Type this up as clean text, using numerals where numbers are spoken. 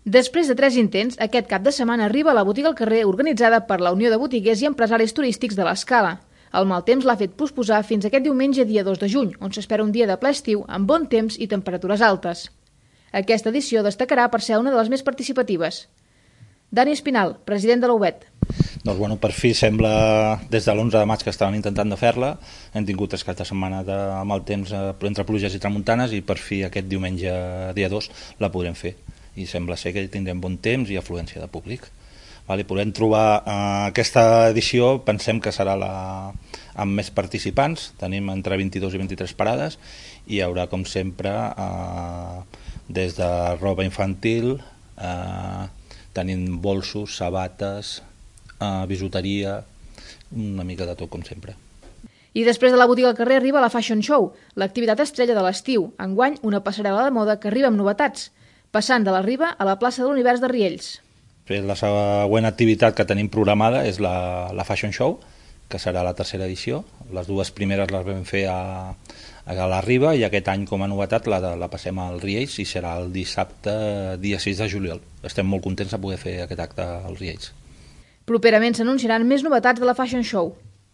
Després de 3 intents, aquest cap de setmana arriba a la botiga al carrer organitzada per la Unió de Botiguers i Empresaris Turístics de l'Escala. El mal temps l'ha fet posposar fins aquest diumenge dia 2 de juny, on s'espera un dia de ple estiu amb bon temps i temperatures altes. Aquesta edició destacarà per ser una de les més participatives. Dani Espinal, president de la UBET. Doncs per fi sembla, des de l'11 de maig que estaven intentant de fer-la, hem tingut 3 caps de setmana de mal temps entre pluges i tramuntanes i per fi aquest diumenge dia 2 la podrem fer. I sembla ser que tindrem bon temps i afluència de públic. Podem trobar aquesta edició, pensem que serà amb més participants, tenim entre 22 i 23 parades i hi haurà com sempre des de roba infantil, tenim bolsos, sabates, bisuteria, una mica de tot com sempre. I després de la botiga al carrer arriba la Fashion Show, l'activitat estrella de l'estiu, enguany una passarel·la de moda que arriba amb novetats, passant de la Riba a la plaça de l'Univers de Riells. La següent activitat que tenim programada és la Fashion Show, que serà la tercera edició. Les dues primeres les vam fer a la Riba i aquest any com a novetat la passem al Riells i serà el dissabte dia 6 de juliol. Estem molt contents de poder fer aquest acte als Riells. Properament s'anunciaran més novetats de la Fashion Show.